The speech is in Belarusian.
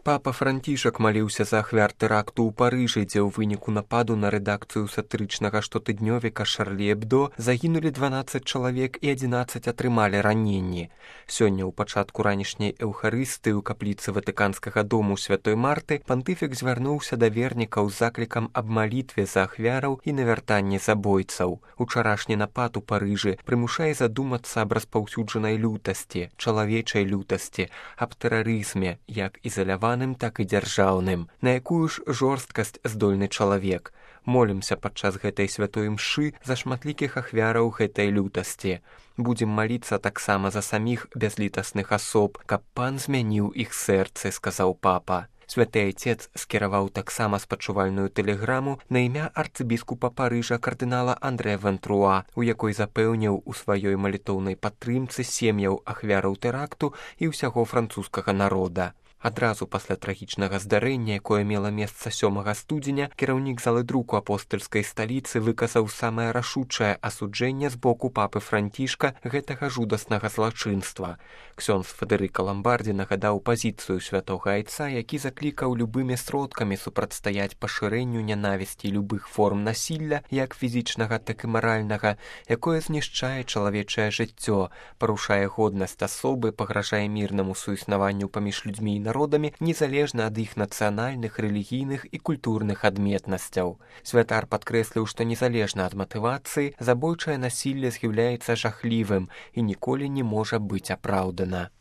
Папа Францішак маліўся за ахвяр тэракту ў Парыжы, дзе ў выніку нападу на рэдакцыю сатырычнага штотыднёвіка Шарлі Эбдо загінулі 12 чалавек і 11 атрымалі раненні. Сёння ў пачатку ранішняй эўхарыстыі ў капліцы Ватыканскага дому Святой Марты пантыфік звярнуўся да вернікаў з заклікам аб малітве за ахвяраў і навяртанні забойцаў. Учарашні напад у Парыжы прымушае задумацца аб распаўсюджанай лютасці, чалавечай лютасці, аб тэрарызме, як ізаляваным, так і дзяржаўным. На якую ж жорсткасць здольны чалавек? Молімся падчас гэтай святой мшы за шматлікіх ахвяраў гэтай лютасці. Будзем маліцца таксама за саміх бязлітасных асоб, каб пан змяніў іх сэрцы, сказаў папа. Святы Айцец скіраваў таксама спачувальную тэлеграму на імя арцыбіскупа Парыжа кардынала Андрэя Вентруа, у якой запэўніў у сваёй малітоўнай падтрымцы сем'яў ахвяраў тэракту і ўсяго французскага народа. Адразу пасля трагічнага здарэння, якое мела месца 7 студзеня, кіраўнік залы друку апостальскай сталіцы выказаў самае рашучае асуджэнне з боку папы Францішка гэтага жудаснага злачынства. Ксёндз Федэрыка Ламбардзі нагадаў пазіцыю святога Айца, які заклікаў любымі сродкамі супрацьстаяць пашырэнню нянавісці любых форм насілля, як фізічнага, так і маральнага, якое знішчае чалавечае жыццё, парушае годнасць асобы, пагражае мірнаму суіснаванню паміж людзьмі і народамі, незалежна ад іх нацыянальных, рэлігійных і культурных адметнасцяў. Святар падкрэсліў, што незалежна ад матывацыі, забойчае насілле з'яўляецца жахлівым і ніколі не можа быць апраўдана.